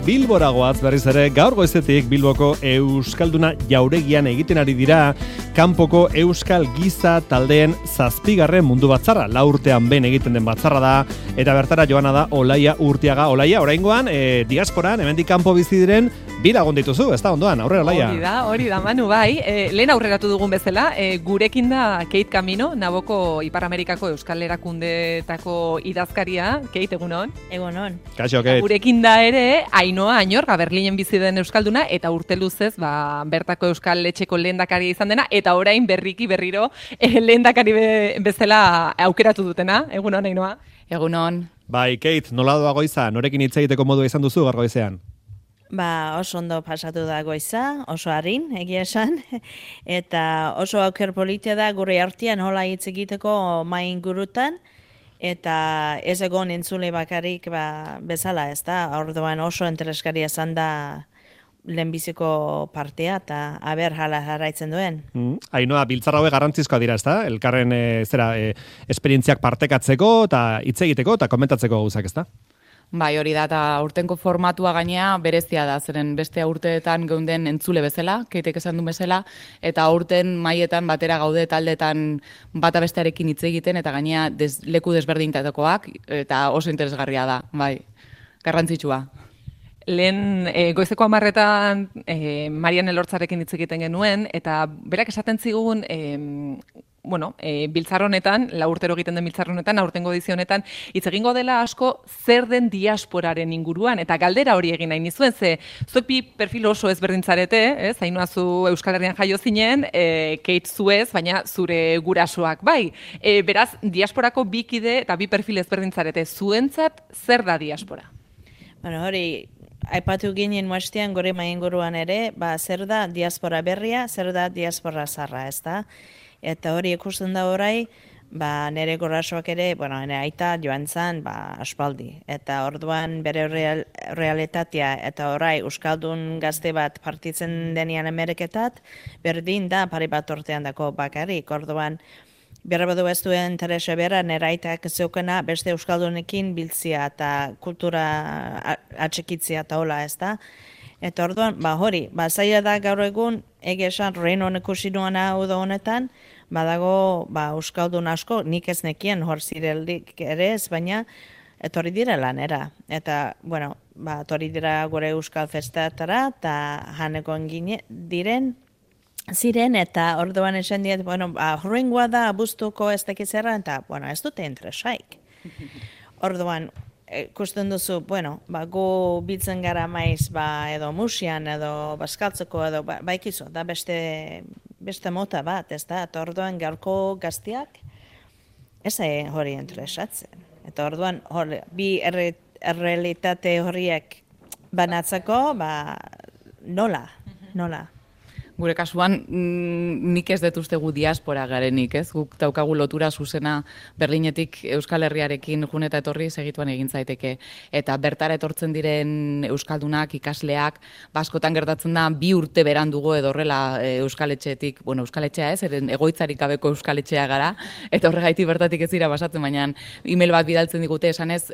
Bilboragoaz berriz ere gaur goizetik Bilboko Euskalduna jauregian egiten ari dira kanpoko Euskal Giza taldeen 7. mundu batzarra. 4 urtean behin egiten den batzarra da eta bertara joana da Olaia Urtiaga. Olaia, oraingoan diasporan hemendik kanpo bizi diren bi lagun dituzu, ez da ondoan, aurrera Olaia. Hori da, Manu, bai. Lehen aurreratu dugun bezala, gurekin da Kate Camino, Naboko Ipar Amerikako Euskal Erakundeetako idazkaria. Kate, egunon? Egunon. Kaixo, Kate. Gurekin da ere, Ainhoa Añorga, Berlinen bizi den euskalduna, eta urte luzez, bertako Euskal Etxeko lehendakaria izan dena, eta orain berriro lehendakari bezala aukeratu dutena. Egunon, Ainhoa? Egunon. Bai, Kate, nola doa goiza? Norekin hitz egiteko modua izan duzu gaur goizean? Oso ondo pasatu da goiza, oso harin, egia esan, eta oso auker politia da gure artean hola hitz egiteko mai ingurutan, eta ez egon entzule bakarrik bezala, ez da, orduan oso interesgarria izan da lehenbiziko partea, eta aber hala jarraitzen duen. Ainhoa, biltzar hauek garrantzizkoa dira, ez da? Elkarren esperientziak partekatzeko, eta hitz egiteko, eta komentatzeko gauzak, ez da? Bai, hori da, eta urtenko formatua gainea berezia da, zeren beste urteetan geunden entzule bezala, Keitek esan du bezala, eta urten maietan batera gaude taldetan bata bestearekin hitz egiten, eta gainea leku desberdintetakoak, eta oso interesgarria da, bai, garrantzitsua. Lehen goizeko 10:00 Marian Elortzarekin hitz egiten genuen, eta berak esaten zigun, biltzar honetan, 4 urtero egiten den biltzar honetan, aurtengo edizio honetan, hitz egingo dela asko zer den diasporaren inguruan, eta galdera hori egin nahi nizuen, ze zuek bi perfil oso ezberdintzarete, ez? Ainhoa zu Euskal Herrian jaio zinen, Kate zuez, baina zure gurasoak bai. Beraz, diasporako bi kide eta bi perfil ezberdintzarete, zuentzat zer da diaspora? Hori, aipatu ginen muastean gure mainguruan ere, zer da diaspora berria, zer da diaspora zarra, ez da? Eta hori ikusten da orai, nire gurasoak ere, nire aita joan zen, aspaldi. Eta orduan bere realitatea eta orai Euskaldun gazte bat partitzen denian Ameriketat, berdin da pari bat urtean dako bakarrik. Orduan, berabadu ez duen interesa bera, nire aitak zeukena beste Euskaldunekin biltzia eta kultura atxikitzia eta hola, ez da? Eta orduan, hori, zaila da gaur egun, egia esan Reino ikusi nuana uda honetan, badago Euskaldun asko, nik ez nekien hor zirelik ere ez, baina etorri dira lanera. Eta, etorri dira gure Euskal Festetara, eta janekoen ziren, eta orduan esan diet, horrengoa da abuztuko ez dakizera, eta, ez dute interesaik. Orduan, ikusten duzu, gu biltzen gara maiz, edo musian, edo baskaltzeko, edo baikizu, da beste mota bat, ez da, eta orduan gaurko gaztiak, ez hori interesatzen. Eta orduan, bi errealitate horiek banatzeko, nola. Gure kasuan, nik ez dut uste gu diaspora garenik, ez? Guk daukagu lotura zuzena Berlinetik Euskal Herriarekin jun eta etorri segituan egin zaiteke. Eta bertara etortzen diren euskaldunak, ikasleak, askotan gertatzen da 2 urte berandugo edo horrela Euskaletxetik, Euskaletxea ez, eren egoitzarik gabeko Euskaletxea gara, eta horregaitik bertatik ez dira basatzen, baina email bat bidaltzen digute esanez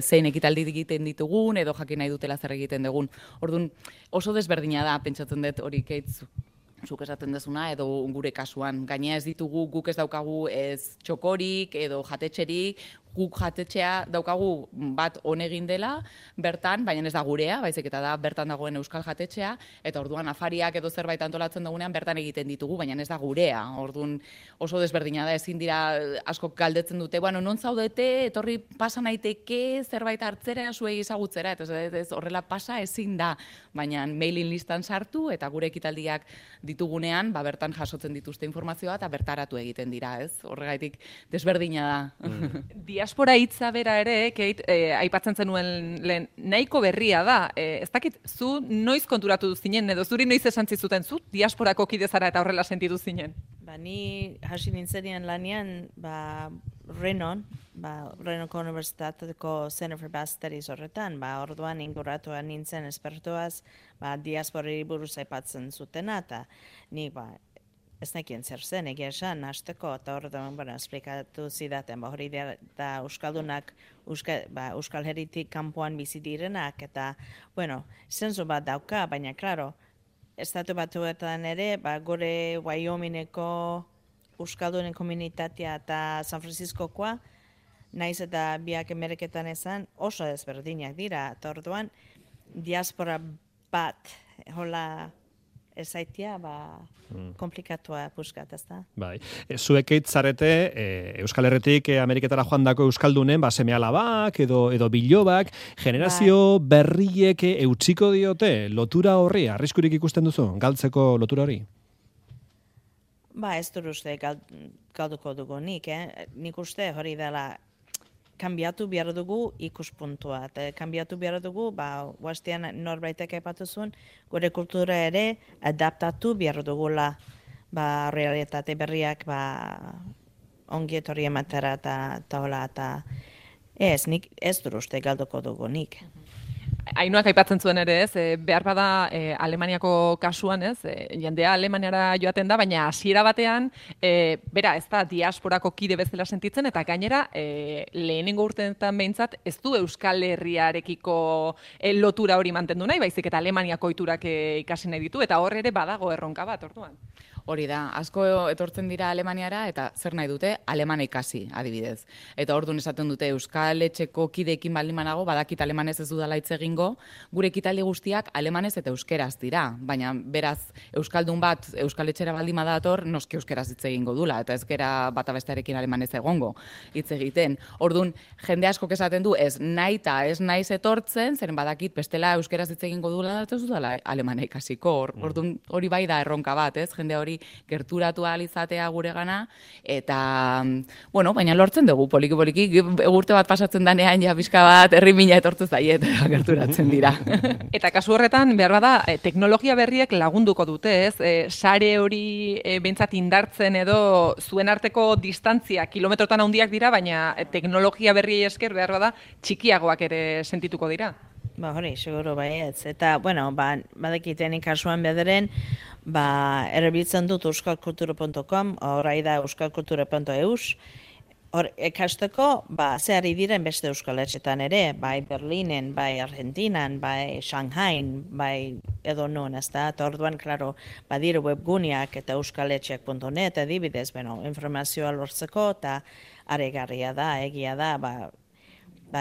zein ekitaldi egiten ditugun, edo jakin nahi dutela zer egiten dugun. Orduan, oso desberdina da, pentsatzen dut hori Kate zuk esaten dezuna, edo gure kasuan. Gainea ez ditugu, guk ez daukagu ez txokorik, edo jatetxerik, guk jatetxea daukagu bat honegin dela, bertan, baina ez da gurea, baizik eta da bertan dagoen Euskal jatetxea, eta orduan afariak edo zerbait antolatzen dugunean bertan egiten ditugu, baina ez da gurea. Orduan oso desberdina da, ezin dira askok galdetzen dute, non zaudete, etorri pasa naiteke, zerbait hartzera, zuei ezagutzera, eta ez horrela pasa ezin da, baina mailing listan sartu, eta gure ekitaldiak ditugunean, bertan jasotzen dituzte informazioa, eta bertaratu egiten dira, ez? Horregaitik desberdina da. Diaspora hitza bera ere, Kate, aipatzen zenuen lehen, nahiko berria da. Ez dakit, zu noiz konturatu zinen, edo zuri noiz esan zizuten, zu diasporako kide zara eta horrela sentitu zinen? Ni hasi nintzen lanean, Renon, Renoko Unibertsitateko Center for Basque Studies horretan, orduan inguratuan nintzen espertuaz, diasporari buruz aipatzen zutena, eta ni ez nekien zer zen, egia esan, hasteko, eta hor da, esplikatu zidaten, hori da Euskaldunak Euskal Herritik kanpoan bizi direnak, eta, zenzu bat dauka, baina, klaro, Estatu Batuetan ere, gore Wyomingeko Euskaldunen komunitatea eta San Franciscokoa, naiz eta biak Ameriketan ezan, oso ezberdinak dira, eta orduan, diaspora bat, hola ezaitia, komplikatua puskat, ez da? Bai. Zuek eitzarete, Euskal Herritik Ameriketara joandako Euskaldunen, seme-alabak edo bilobak, generazio berriek eutsiko diote, lotura horri, arriskurik ikusten duzu, galtzeko lotura hori? Ez dut uste galduko dugu nik, nik uste hori dela kanbiatu behar dugu ikuspuntua. Eta kanbiatu behar dugu, guaztian norbaitek aipatu zuen, gure kultura ere adaptatu behar dugula realitate berriak ongi etorri ematera eta hola. Nik ez dut uste galduko dugu nik. Ainuak aipatzen zuen ere, behar bada Alemaniako kasuan, jendea Alemaniara joaten da, baina hasiera batean, bera, ez da diasporako kide bezala sentitzen, eta gainera, lehenengo urteetan behintzat, ez du Euskal Herriarekiko lotura hori mantendu nahi, baizik eta Alemaniako ohiturak ikasi nahi ditu, eta hor ere badago erronka bat, orduan. Hori da, asko etortzen dira Alemaniara eta zer nahi dute, alemana ikasi, adibidez. Eta orduan esaten dute Euskal Etxeko kideekin baldin banago, badakit alemanez ez dudala hitz egingo, gure ekitaldi guztiak alemanez eta euskeraz dira. Baina beraz, Euskaldun bat Euskal Etxera baldin badator, noski euskeraz hitz egingo dula, eta ez gera bata bestearekin alemanez egongo hitz egiten. Orduan, jende askok esaten du, ez nahi eta ez naiz etortzen, zeren badakit bestela euskeraz hitz egingo dula, eta ez dudala alemana ikasiko. Orduan, hori bai da erronka bat, jende hori gerturatu ahal izatea guregana, eta, baina lortzen dugu, poliki, urte bat pasatzen danean, ja pixka bat, herrimina etortu zaiet, gerturatzen dira. Eta kasu horretan, behar bada, teknologia berriek lagunduko dute, sare hori behintzat indartzen edo zuen arteko distantzia kilometrotan handiak dira, baina teknologia berriei esker behar bada, txikiagoak ere sentituko dira. Hori, seguro baietz. Eta, badakitenik kasuan bederen, erabiltzen dut euskalkultura.com, orai da euskalkultura.eus, hor ekasteko, zehari diren beste euskaletxetan ere, bai Berlinen, bai Argentinan, bai Shanghain, bai edo non, ez da, eta orduan, klaro, badire webguneak eta euskaletxeak.net, adibidez, informazioa lortzeko, eta aregarria da, egia da,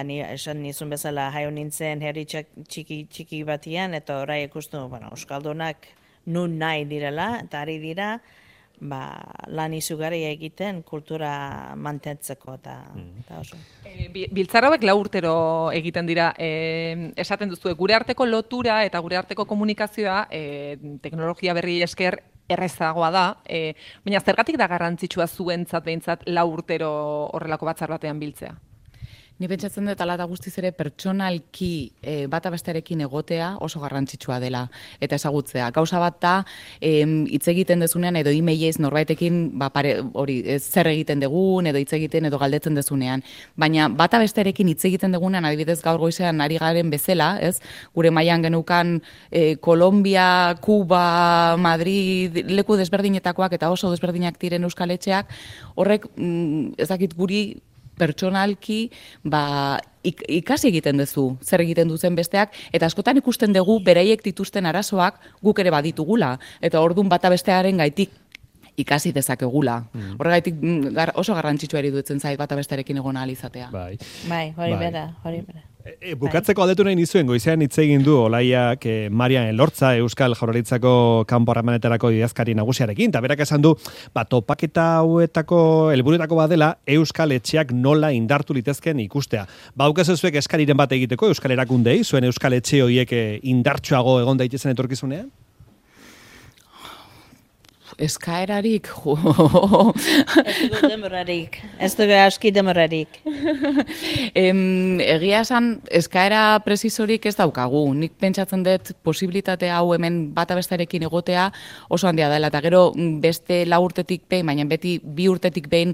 ni esan nizun bezala jaio nintzen herri txiki batian, eta orai ikustu, Euskaldunak nun nahi direla, eta ari dira, lan izugarri egiten kultura mantentzeko, eta oso. Biltzar hauek 4 urtero egiten dira, esaten duzu, gure arteko lotura eta gure arteko komunikazioa teknologia berri esker errezagoa da, baina zergatik da garrantzitsua zuentzat behintzat 4 urtero horrelako batzar batean biltzea? Ni pentsatzen dut ala eta guztiz ere pertsonalki bata bestearekin egotea oso garrantzitsua dela eta ezagutzea. Gauza bat da hitz egiten dezunean edo e-mailez norbaitekin zer egiten dugun edo hitz egiten edo galdetzen dezunean, baina bata bestearekin hitz egiten dugunean adibidez gaur goizean ari garen bezala, gure mailan genukan Kolombia, Kuba, Madrid, leku desberdinetakoak eta oso desberdinak diren euskaletxeak, horrek ezakit guri pertsonalki ikasi egiten duzu, zer egiten duzen besteak, eta askotan ikusten dugu beraiek dituzten arazoak guk ere baditugula, eta orduan bata bestearen gaitik ikasi dezakegula. Horregaitik oso garrantzitsua iruditzen zait bata bestearekin egon ahal izatea. Bai, hori bera. Bukatzeko aldetu nahi nizuen, goizean hitz egin du Olaiak Marian Elortza, Euskal Jaurlaritzako kanpo harremanetarako idazkari nagusiarekin, eta berak esan du, topaketa hauetako helburuetako badela Euskal Etxeak nola indartu litezken ikustea. Baukazu zuek eskariren bat egiteko Euskal Erakundei, zuen Euskal Etxe horiek indartsuago egon daitezen etorkizunean? Eskaerarik, Ez dugu aski demorarik. Egia esan, eskaera presizorik ez daukagu. Nik pentsatzen dut posibilitate hau hemen bata bestarekin egotea oso handia dela. Eta gero beste 4 urtetik behin, baina beti 2 urtetik behin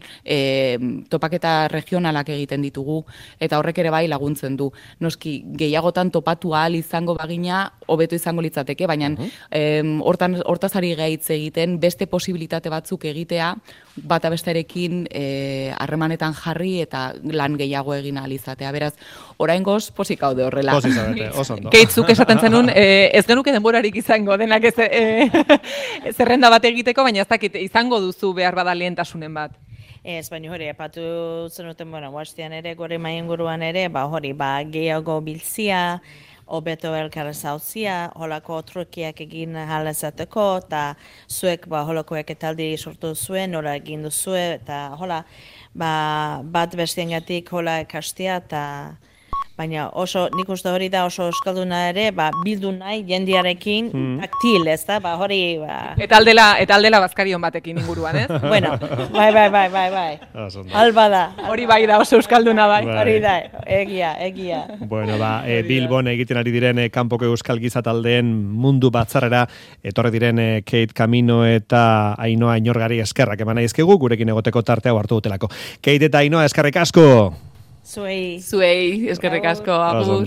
topaketa regionalak egiten ditugu. Eta horrek ere bai laguntzen du. Noski, gehiagotan topatu ahal izango bagina hobeto izango litzateke, baina hortaz ari gaitz egiten, beste posibilitate batzuk egitea, bata bestearekin harremanetan jarri eta lan gehiago egin ahal izatea. Beraz, oraingoz posik gaude horrela. Pozik zaudete, oso ondo. Keitzuk esaten zenun, ez genuke denborarik izango denak zerrenda bat egiteko, baina ez dakit izango duzu behar bada lehentasunen bat. Ez, baina hori, epatu zenuten, guaztian ere, gore mainguruan ere, hori, gehiago biltzia, hobeto elkar zautzia, holako trukiak egin halezateko, eta zuek holako eketaldi sortu zuen, nola egin duzue, eta hola, bat bestiengatik hola ekastia, eta baina oso, nik uste hori da oso euskalduna ere, bildu nahi jendiarekin taktil, ez da, hori, Eta aldela bazkarion batekin inguruan, ez? Bueno, bai. Alba da. Hori bai da oso euskalduna bai. Hori da, egia. Bueno, Bilbon egiten ari diren kanpoko euskal giza taldeen mundu batzarrera etorri diren Kate Camino eta Ainhoa Inorgari eskerrak eman aizkegu, gurekin egoteko tartea hartu dutelako. Kate eta Ainhoa eskerrik asko! Zuei, eskerrik asko, agur.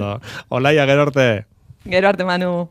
Olaia, gero arte. Gero arte, Manu.